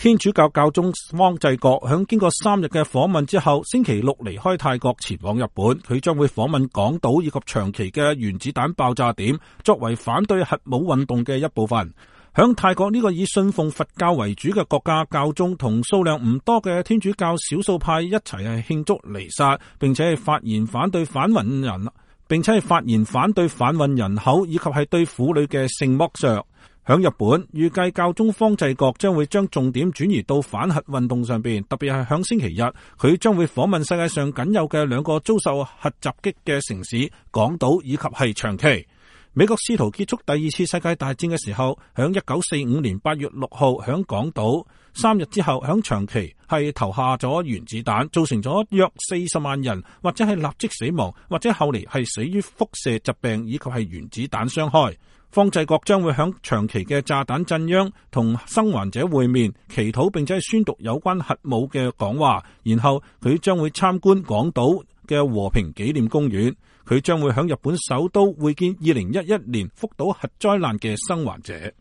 天主教教宗方濟各響經過3日嘅訪問之後，星期六離開泰國前往日本。佢將會訪問廣島以及長崎嘅原子彈爆炸點，作為反對核武運動嘅一部分。響泰國呢個以信奉佛教為主嘅國家，教宗同數量唔多嘅天主教少數派一齊係慶祝彌撒，並且係發言反對販運人口以及係對婦女嘅性剝削。響日本，預計教宗方濟各將會將重點轉移到反核運動上邊，特別係響星期日，佢將會訪問世界上僅有嘅2個遭受核襲擊嘅城市廣島以及係長崎。美國試圖結束第2次世界大戰嘅時候，響1945年8月6號響廣島，3日之後響長崎係投下咗原子彈，造成咗約40萬人或者係立即死亡，或者後嚟係死於輻射疾病以及係原子彈傷害。方濟各將會響長崎嘅炸彈震央同生還者會面，祈禱並且係宣讀有關核武嘅講話，然後佢將會參觀廣島嘅和平紀念公園。佢將會響日本首都會見2011年福島核災難嘅生還者。